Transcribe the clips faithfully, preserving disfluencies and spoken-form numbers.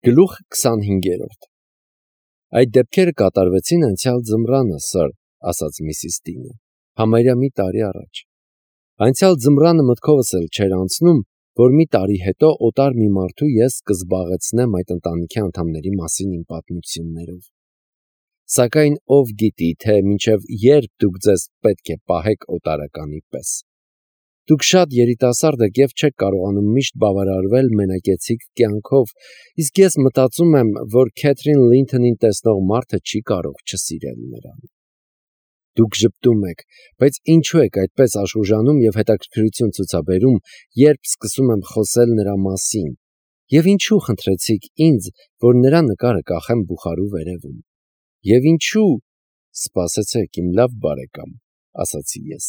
Գլուխ քսանհինգերորդ Այդ դեպքերը կատարվեցին անցյալ ձմռանը, սըր, ասաց միսիս Դինը, համարյա մի տարի առաջ։ Անցյալ ձմռանը մտքովս էլ չէր անցնում, որ մի տարի հետո օտար մի մարդու ես կզբաղեցնեմ այդ ընտանիքի անդամների մասին իմ պատմություններով։ Սակայն ով գիտի, թե մինչև երբ դուք ձեզ պետք է պահեք օտարականի պես։ Դուք շատ երիտասարդ եք և չեք կարողանում միշտ բավարարվել մենակեցիկ կյանքով, իսկ ես մտածում եմ, որ Քեթրին Լինթոնին տեսնող մարդը չի կարող չսիրել նրան։ Դուք ժպտում եք, բայց ինչու եք այդպես աշխուժանում և հետաքրքրություն ցուցաբերում, երբ սկսում եմ խոսել նրա մասին, և ինչու խնդրեցիք ինձ, որ նրա նկարը կախեմ բուխարու վերևում։ Եվ ինչու, սպասեցեք, իմ լավ բարեկամ, ասացի ես,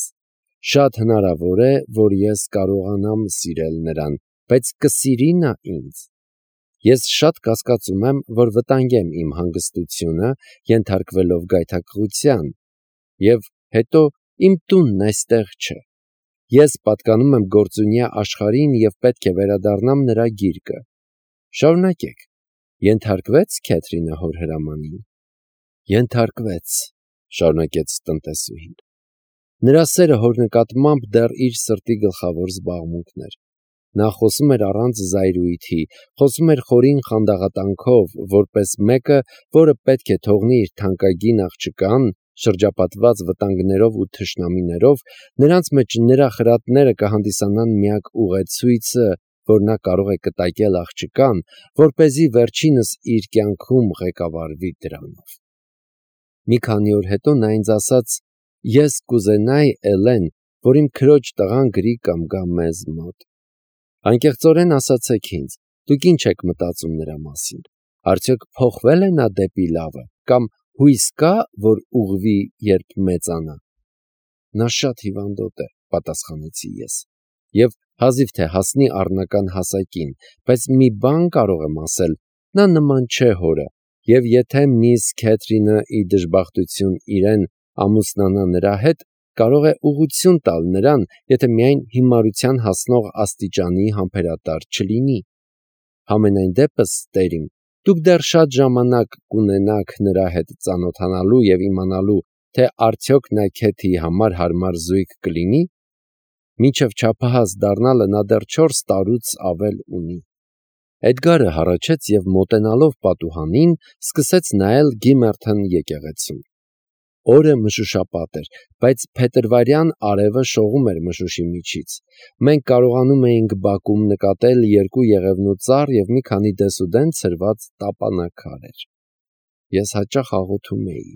շատ հնարավոր է, որ ես կարողանամ սիրել նրան, բայց կսիրի նա ինձ։ Ես շատ կասկածում եմ, որ վտանգեմ իմ հանգստությունը, ենթարկվելով գայթակղության, և հետո իմ տունն այստեղ չէ։ Ես պատկանում եմ գործունյա աշխարհին և պետք է վերադառնամ նրա գիրկը։ Շարունակեք, ենթարկվե՞ց Քեթրինը հոր հրամանին։ Ենթարկվեց, շարունակեց տնտեսուհին։ Նրա սերը հոր նկատմամբ դեռ իր սրտի գլխավոր զբաղմունքն էր։ Նա խոսում էր առանց զայրույթի, խոսում էր խորին խանդաղատանքով, որպես մեկը, որը պետք է թողնի իր թանկագին աղջկան, շրջապատված վտանգներով ու թշնամիներով, նրանց մեջ նրա խրատները կհանդիսանան միակ ուղեցույցը, որ նա կարող է կտակել աղջկան, որպեսզի վերջինս իր կյանքում ղեկավարվի դրանով։ Մի քանի օր հետո նա ինձ ասաց. «Ես կուզենայի, Էլեն, որ իմ քրոջ տղան գրի կամ գա մեզ մոտ»։ Անկեղծորեն ասացեք ինձ, դուք ինչ եք մտածում նրա մասին։ Արդյոք փոխվե՞լ է նա դեպի լավը, կամ հույս կա, որ ուղղվի, երբ մեծանա։ Նա շատ հիվանդոտ է, պատասխանեցի ես, և հազիվ թե հասնի առնական հասակին, բայց մի բան կարող եմ ասել, նա նման չէ հորը, և եթե միս Քեթրինը ի դժբախտություն իրեն ամուսնանա նրա հետ, կարող է ուղղություն տալ նրան, եթե միայն հիմարության հասնող աստիճանի համբերատար չլինի։ Համենայն դեպս, տերիմ, դուք դեռ շատ ժամանակ կունենաք նրա հետ ծանոթանալու և իմանալու, թե արդյոք նա Քեթիի համար հարմար զույգ կլինի։ Մինչև չափահաս դառնալը նա դեռ չորս տարուց ավել ունի։ Էդգարը հառաչեց և մոտենալով պատուհանին, սկսեց նայել Գիմերթոն եկեղեցուն։ Օրը մշուշապատ էր, բայց փետրվարյան արևը շողում էր մշուշի միջից։ Մենք կարողանում էինք բակում նկատել երկու եղևնու ծառ և մի քանի դեսուդեն ցրված տապանաքարեր։ Ես հաճախ աղոթում էի,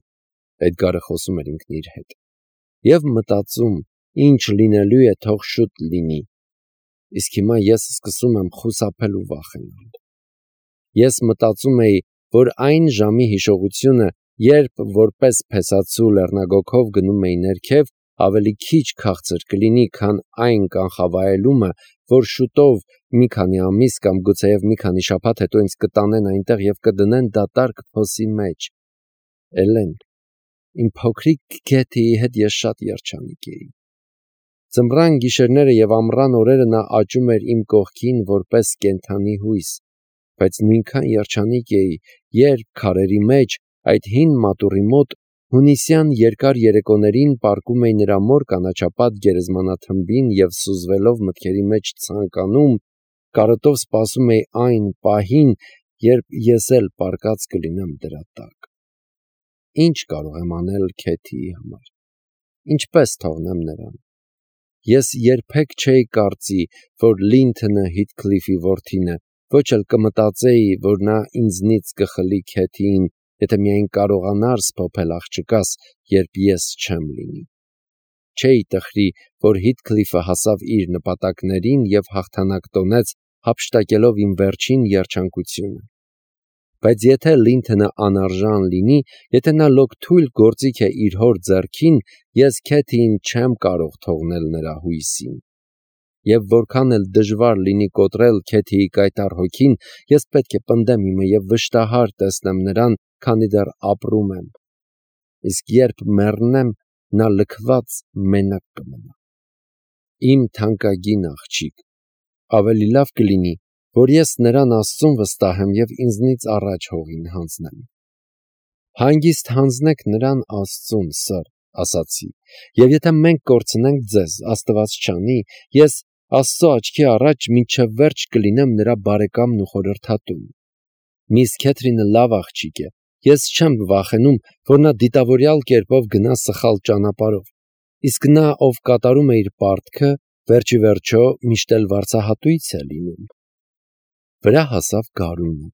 Էդգարը խոսում էր ինքն իր հետ, և մտածում, ինչ լինելու է, թող շուտ լինի։ Իսկ հիմա ես սկսում եմ խուսափել ու վախենալ։ Ես մտածում էի, որ այն ժամի հիշողությունը, երբ որպես փեսացու լեռնագոգով գնում էի ներքև, ավելի քիչ քաղցր կլինի, քան այն կանխավայելումը, որ շուտով, մի քանի ամիս կամ գուցեև մի քանի շաբաթ հետո ինձ կտանեն այնտեղ և կդնեն դատարկ փոսի մեջ։ Էլեն, իմ փոքրիկ Քեթիի հետ ես շատ երջանիկ էի։ Ձմռան գիշերները և ամռան օրերը նա աճում էր իմ կողքին որպես կենդանի հույս, բայց նույնքան երջանիկ էի, երբ քարերի մեջ, այդ հին մատուռի մոտ, հունիսյան երկար երեկոներին պառկում էի նրա մոր կանաչապատ գերեզմանաթմբին և սուզվելով մտքերի մեջ ցանկանում, կարոտով սպասում էի այն պահին, երբ ես էլ պառկած կլինեմ դրա տակ։ Ինչ կարող եմ անել Քեթիի համար։ Ինչպե՞ս թողնեմ նրան։ Ես երբեք չէի կարծի, որ Լինթոնը Հիթքլիֆի որդին է, ոչ էլ կմտածեի, որ նա ինձնից կխլի Քեթիին, եթե միայն կարողանար սփոփել աղջկաս, երբ ես չեմ լինի։ Չէի տխրի, որ Հիթքլիֆը հասավ իր նպատակներին և հաղթանակ տոնեց, հափշտակելով իմ վերջին երջանկությունը։ Բայց եթե Լինթոնը անարժան լինի, եթե նա լոկ թույլ գործիք է իր հոր ձեռքին, ես Քեթիին չեմ կարող թողնել նրա հույսին։ Եվ որքան էլ դժվար լինի կոտրել Քեթիի կայտառ հոգին, ես պետք է պնդեմ իմը և վշտահար տեսնեմ նրան, քանի դեռ ապրում եմ։ Իսկ երբ մեռնեմ, նա լքված մենակ կմնա։ Իմ թանկագին աղջիկ, ավելի լավ կլինի, որ ես նրան Աստծուն վստահ եմ և ինձնից առաջ հողին հանձնեմ։ Հանգիստ հանձնեք նրան Աստծուն, սըր, ասացի, և եթե մենք կորցնենք ձեզ, Աստված չանի, ես Աստծո աչքի առաջ մինչև վերջ կլինեմ նրա բարեկամն ու խորհրդատուն։ Միս Քեթրինը լավ աղջիկ է, ես չեմ վախենում, որ նա դիտավորյալ կերպով գնա սխալ ճանապարհով, իսկ նա, ով կատարում է իր պարտքը, վերջի վերջո միշտ էլ վարձահատույց է լինում։ Վրա հասավ գարունը,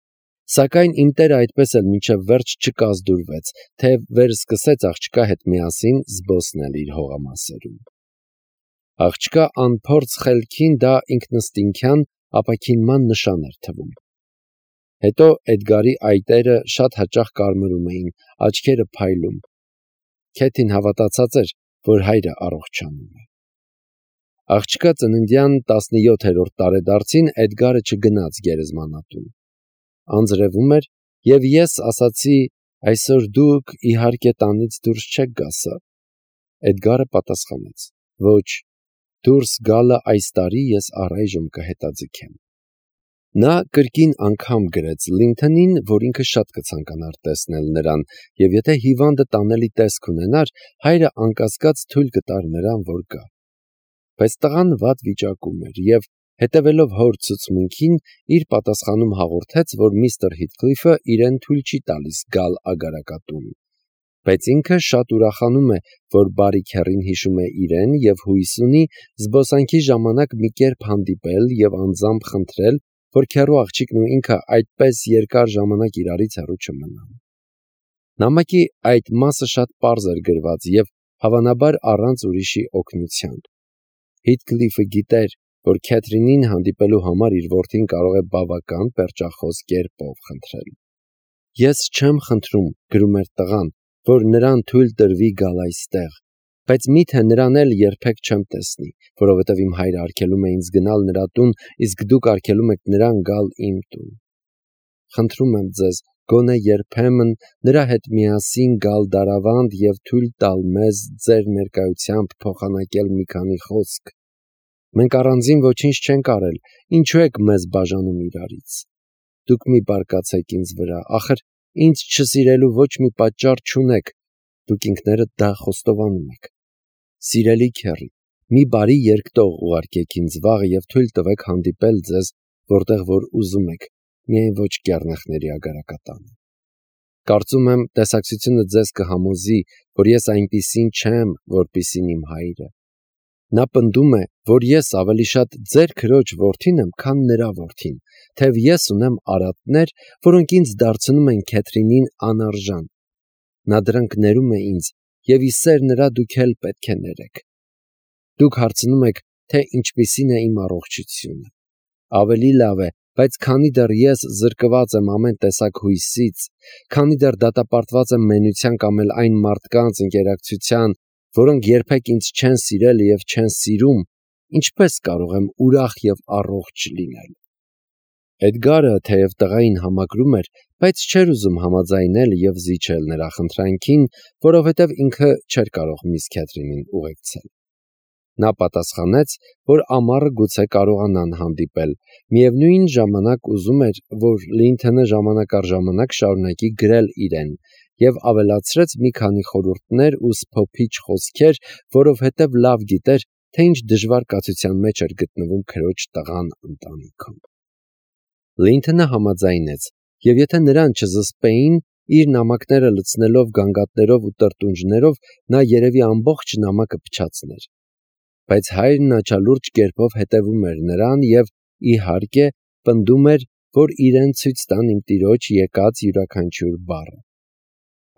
սակայն իմ տերը այդպես էլ մինչև վերջ չկազդուրվեց, թեև վերսկսեց աղջկա հետ միասին զբոսնել իր հողամասերում։ Աղջկա անփորձ խելքին դա ինքնըստինքյան ապաքինման նշան էր թվում։ Հետո Էդգարի այտերը շատ հաճախ կարմրում էին, աչքերը փայլում։ Քեթին հավատացած էր, որ հայրը առողջանում է։ Աղջկա ծննդյան տասնյոթերորդ տարեդարձին Էդգարը չգնաց գերեզմանատուն։ Անձրևում էր, և ես ասացի. «Այսօր դուք իհարկե տանից դուրս չեք գա, սըր»։ Էդգարը պատասխանեց. «Ոչ, դուրս գալը այս տարի ես առայժմ կհետաձգեմ»։ Նա կրկին անգամ գրեց Լինթոնին, որ ինքը շատ կցանկանար տեսնել նրան, և եթե հիվանդը տանելի տեսք ունենար, հայրը անկասկած թույլ կտար նրան, որ գա։ Բայց տղան վատ վիճակում էր և, հետևելով հոր ցուցմունքին, իր պատասխանում հաղորդեց, որ միստր Հիթքլիֆը իրեն թույլ չի տալիս գալ ագարակատուն, բայց ինքը շատ ուրախանում է, որ բարի քեռին հիշում է իրեն և հույս ունի զբոսանքի ժամանակ մի կերպ հանդիպել և անձամբ խնդրել, որ քեռու աղջիկն ու ինքը այդպես երկար ժամանակ իրարից հեռու չմնան։ Նամակի այդ մասը շատ պարզ էր գրված և հավանաբար առանց ուրիշի օգնության։ Հիթքլիֆը գիտեր, որ Քեթրինին հանդիպելու համար իր որդին կարող է բավական պերճախոս կերպով խնդրել։ «Ես չեմ խնդրում», գրում էր տղան, «որ նրան թույլ տրվի գալ այստեղ, բայց միթե նրան էլ երբեք չեմ տեսնի, որովհետև իմ հայրը արգելում է ինձ գնալ նրա տուն, իսկ դուք արգելում եք նրան գալ իմ տուն։ Խնդրում եմ ձեզ, գոնե երբեմն նրա հետ միասին գալ դարավանդ և թույլ տալ մեզ ձեր ներկայությամբ փոխանակել մի քանի խոսք։ Մենք առանձին ոչինչ չենք արել, ինչու եք մեզ բաժանում իրարից։ Դուք մի բարկացեք ինձ վրա, ախր ինձ չսիրելու ոչ մի պատճառ չունեք, դուք ինքներդ դա խոստովանում եք։ Սիրելի քեռի, մի բարի երկտող ուղարկեք ինձ վաղը և թույլ տվեք հանդիպել ձեզ, որտեղ որ ուզում եք, միայն ոչ կեռնեխների ագարակատանը։ Կարծում եմ, տեսակցությունը ձեզ կհամոզի, որ ես այնպիսին չեմ, որպիսին իմ հայրը։ Նա պնդում է, որ ես ավելի շատ ձեր քրոջ որդին եմ, քան նրա որդին, թեև ես ունեմ արատներ, որոնք ինձ դարձնում են Քեթրինին անարժան։ Նա դրանք ներում է ինձ, և ի սեր նրա դուք էլ պետք է ներեք։ Դուք հարցնում եք, թե ինչպիսին է իմ առողջությունը։ Ավելի լավ է, բայց քանի դեռ ես զրկված եմ ամեն տեսակ հույսից, քանի դեռ դատապարտված եմ մենության կամ էլ այն մարդկանց ընկերակցության, որոնք երբեք ինձ չեն սիրել և չեն սիրում, ինչպես կարող եմ ուրախ և առողջ լինել։ Էդգարը, թեև տղային համակրում էր, բայց չէր ուզում համաձայնել և զիջել նրա խնդրանքին, որովհետև ինքը չէր կարող միս Քեթրինին ուղեկցել։ Նա պատասխանեց, որ ամառը գուցե կարողանան հանդիպել, միևնույն ժամանակ ուզում էր, որ Լինթոնը ժամանակ առ ժամանակ շարունակի գրել իրեն, և ավելացրեց մի քանի խորհուրդներ ու սփոփիչ խոսքեր, որովհետև լավ գիտեր, թե ինչ դժվար կացության մեջ էր գտնվում քրոջ տղան ընտանիքում։ Լինթոնը համաձայնեց, և եթե նրան չզսպեին, իր նամակները լցնելով գանգատներով ու տրտունջներով, նա երևի ամբողջ նամակը փչացներ։ Բայց հայրն աչալուրջ կերպով հետևում էր նրան և, իհարկե, պնդում էր, որ իրեն ցույց տան իմ տիրոջ եկած յուրաքանչյուր բառը։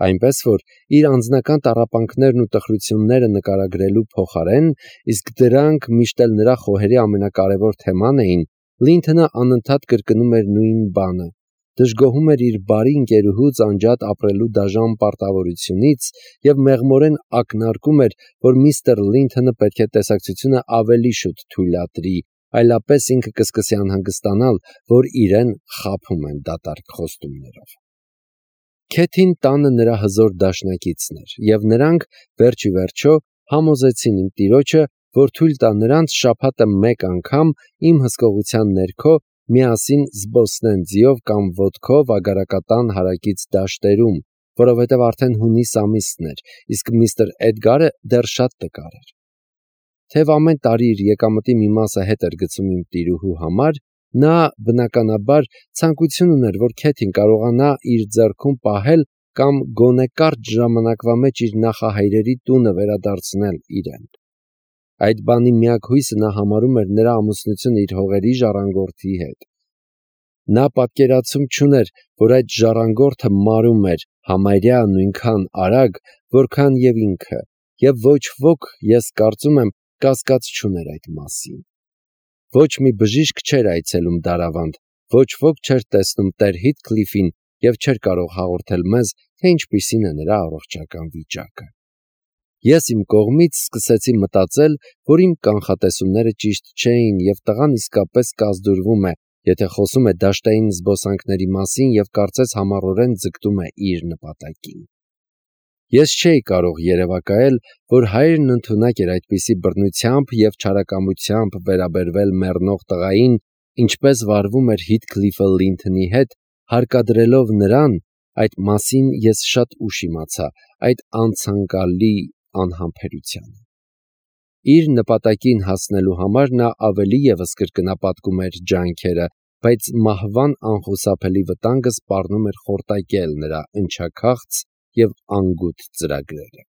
Այնպես որ իր անձնական տառապանքներն ու տխրությունները նկարագրելու փոխարեն, իսկ դրանք միշտ էլ նրա խոհերի ամենակարևոր թեման էին, Լինթոնը անընդհատ կրկնում էր նույն բանը, դժգոհում էր իր բարի ընկերուհուց անջատ ապրելու դաժան պարտավորությունից և մեղմորեն ակնարկում էր, որ միստր Լինթոնը պետք է տեսակցությունը ավելի շուտ թույլատրի, այլապես ինքը կսկսի անհանգստանալ, որ իրեն խաբում են դատարկ խոստումներով։ Քեթին տանը նրա հզոր դաշնակիցն էր, և նրանք վերջ ի վերջո համոզեցին իմ տիրոջը, որ թույլ տա նրանց շաբաթը մեկ անգամ իմ հսկողության ներքո միասին զբոսնեն ձիով կամ ոտքով ագարակատան հարակից դաշտերում, որովհետև արդեն հունիս ամիսն էր, իսկ միստր Էդգարը դեռ շատ տկար էր։ Թեև ամեն տարի իր եկամտի մի մասը հետ էր գցում իմ տիրուհու համար, նա բնականաբար ցանկություն ուներ, որ Քեթին կարողանա իր ձեռքում պահել կամ գոնե կարճ ժամանակվա մեջ իր նախահայրերի տունը վերադարձնել իրեն։ Այդ բանի միակ հույսը նա համարում էր նրա ամուսնությունը իր հողերի ժառանգորդի հետ։ Նա պատկերացում չուներ, որ այդ ժառանգորդը մարում էր համարյա նույնքան արագ, որքան և ինքը, և ոչ ոք, ես կարծում եմ, կասկած չուներ այդ մասին։ Ոչ մի բժիշկ չէր այցելում Դարավանդ, ոչ ոք չէր տեսնում տեր Հիթքլիֆին և չէր կարող հաղորդել մեզ, թե ինչպիսին է նրա առողջական վիճակը։ Ես իմ կողմից սկսեցի մտածել, որ իմ կանխատեսումները ճիշտ չէին, և տղան իսկապես կազդուրվում է, եթե խոսում է դաշտային զբոսանքների մասին և կարծես համառորեն ձգտում է իր նպատակին։ Ես չէի կարող երևակայել, որ հայրն ընդունակ էր այդպիսի բռնությամբ և չարակամությամբ վերաբերվել մեռնող տղային, ինչպես վարվում էր Հիթքլիֆը Լինթոնի հետ, հարկադրելով նրան, այդ մասին ես շատ ուշ իմացա, այդ անցանկալի անհամբերությանը։ Իր նպատակին հասնելու համար նա ավելի ևս կրկնապատկում էր ջանքերը, բայց մահվան անխուսափելի վտանգը սպառնում էր խորտակել նրա ընչաքաղց և անգութ ծրագրերը։